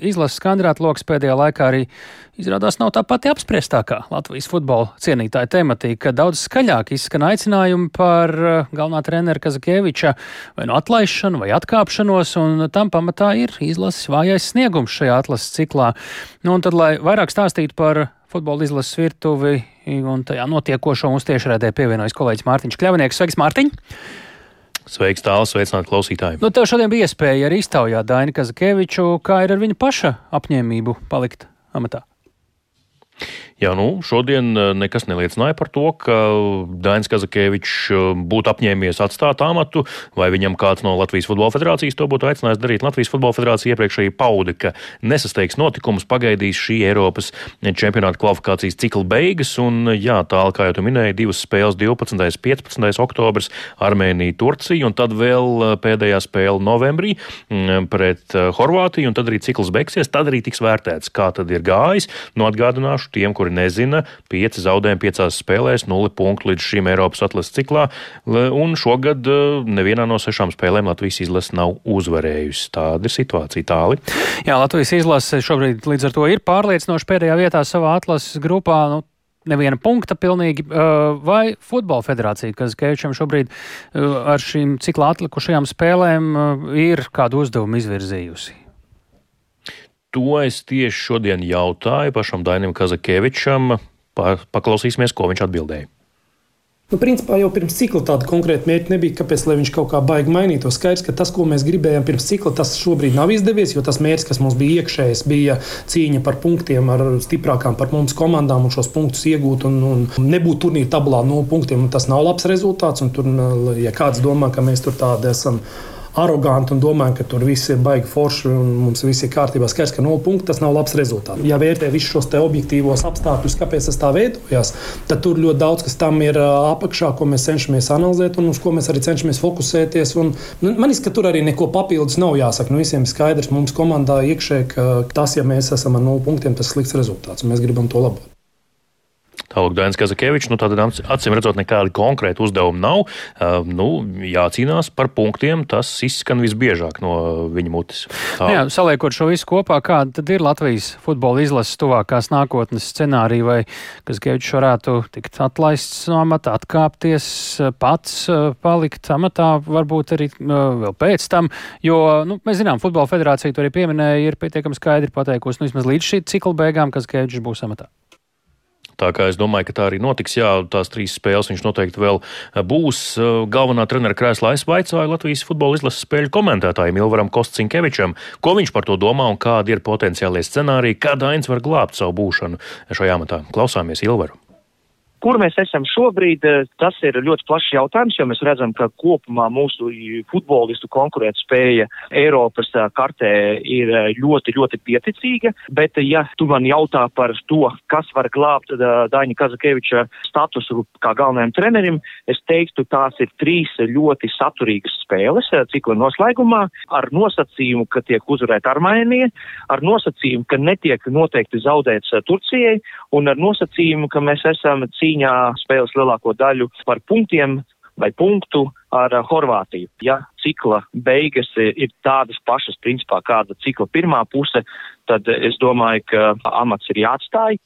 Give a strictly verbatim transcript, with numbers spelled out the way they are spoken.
izlases kandidātu loks pēdējā laikā arī izrādās nav tā pati apspriestākā Latvijas futbola cienītāja tematika, ka daudz skaļāk izskan aicinājumi par galvenā trenera Kazakēviča vai nu atlaišanu vai atkāpšanos, un tam pamatā ir izlases vājais sniegums šajā atlases ciklā. Nu, un tad, lai vairāk stāstītu par futbola izlases virtuvi un tajā notiekošo, mums tiešraidē pievienojas kolēģis Mārtiņš Kļavnieks. Sveiks, Mārtiņ! Sveiks, tāls, sveicināt klausītāji. Nu, tev šodien bija iespēja arī iztaujāt Daini Kazakēviču, kā ir ar viņa paša apņēmību palikt amatā. Jā, nu, šodien nekas neliecināja par to, ka Dainis Kazakēvičs būtu apņēmies atstāt amatu, vai viņam kāds no Latvijas Futbola Federācijas to būtu aicinājis darīt. Latvijas Futbola Federācija iepriekšēji pauda, ka nesasteigs notikumus, pagaidīs šī Eiropas čempionāta kvalifikācijas cikla beigas, un jā, tālāk, kā jau tu minēji, divas spēles divpadsmitais un piecpadsmitais oktobris, Armēnija, Turcija, un tad vēl pēdējā spēle novembrī pret Horvātiju, un tad arī cikls beigsies, tad arī tiks vērtēts, kā tad ir gājis. Nu, atgādināšu tiem, kuri nezina, pieci zaudējumi piecās spēlēs, nulli punktu līdz šim Eiropas atlases ciklā, un šogad nevienā no sešām spēlēm Latvijas izlase nav uzvarējusi. Tāda ir situācija. Tāli. Jā, Latvijas izlase šobrīd līdz ar to ir pārliecinoši pēdējā vietā savā atlases grupā, nu, neviena punkta pilnīgi, vai Futbola Federācija, kas Kēvičam šobrīd ar šīm ciklā atlikušajām spēlēm ir kādu uzdevumu izvirzījusi? To es tieši šodien jautāju pašam Dainim Kazakēvičam. Paklausīsimies, ko viņš atbildēja. Nu, principā jau pirms cikla tāda konkrēta mērķa nebija, kāpēc, lai viņš kaut kā baigi mainītu. Skaidrs, ka tas, ko mēs gribējām pirms cikla, tas šobrīd nav izdevies, jo tas mērķis, kas mums bija iekšējais, bija cīņa par punktiem ar stiprākām par mums komandām un šos punktus iegūt un, un nebūt turnīra tabulā nulle punktiem. Tas nav labs rezultāts, un tur, ja kāds domā, ka mēs tur tādi esam aroganti un domājam, ka tur viss ir baigi forši un mums viss ir kārtībā, skaidrs, ka nulle punkti, tas nav labs rezultāts. Ja vērtē visus šos te objektīvos apstākļus, kāpēc tas tā veidojās, tad tur ļoti daudz, kas tam ir apakšā, ko mēs cenšamies analizēt un uz ko mēs arī cenšamies fokusēties. Un, nu, man izskat, ka tur arī neko papildus nav jāsaka. Nu, visiem ir skaidrs, mums komandā iekšē, ka tas, ja mēs esam ar nulle punktiem, tas slikts rezultāts un mēs gribam to labot. Tālāk Dainis Kazakēvičs, nu tātad acīm redzot nekādi konkrēti uzdevumi nav. Uh, nu, jācīnās par punktiem, tas izskan visbiežāk no viņa mutes. Tā. Jā, saliekot šo visu kopā, kāda tad ir Latvijas futbola izlases tuvākās nākotnes scenārija, vai Kazakēvičs varētu tikt atlaists no amata, atkāpties, pats palikt amatā, varbūt arī uh, vēl pēc tam, jo, nu, mēs zinām, Futbola Federācija to arī pieminēja, ir pietiekami skaidri pateikusi, nu, vismaz līdz šī cikla beigām, Kazakēvičs būs amatā. Tā kā es domāju, ka tā arī notiks, jā, tās trīs spēles viņš noteikti vēl būs. Galvenā trenera krēslā es vaicāju Latvijas futbola izlases spēļu komentētājiem Ilvaram Kostcinkevičam, ko viņš par to domā un kādi ir potenciālie scenāriji, kā Dainis var glābt savu būšanu šajā amatā. Klausāmies Ilvaru. Kur mēs esam šobrīd, tas ir ļoti plašs jautājums, jo mēs redzam, ka kopumā mūsu futbolistu konkurētspēja Eiropas kartē ir ļoti, ļoti pieticīga, bet ja tu man jautā par to, kas var glābt Daini Kazakēviča statusu kā galvenajam trenerim, es teiktu, tās ir trīs ļoti saturīgas spēles cikla noslēgumā, ar nosacījumu, ka tiek uzvarēta Armēnija, ar nosacījumu, ka netiek noteikti zaudēts Turcijai, un ar nosacījumu, ka mēs esam cīņā spēles lielāko daļu par punktiem vai punktu ar Horvātiju. Ja cikla beigas ir tādas pašas, principā, kāda cikla pirmā puse, tad es domāju, ka amats ir jāatstāj.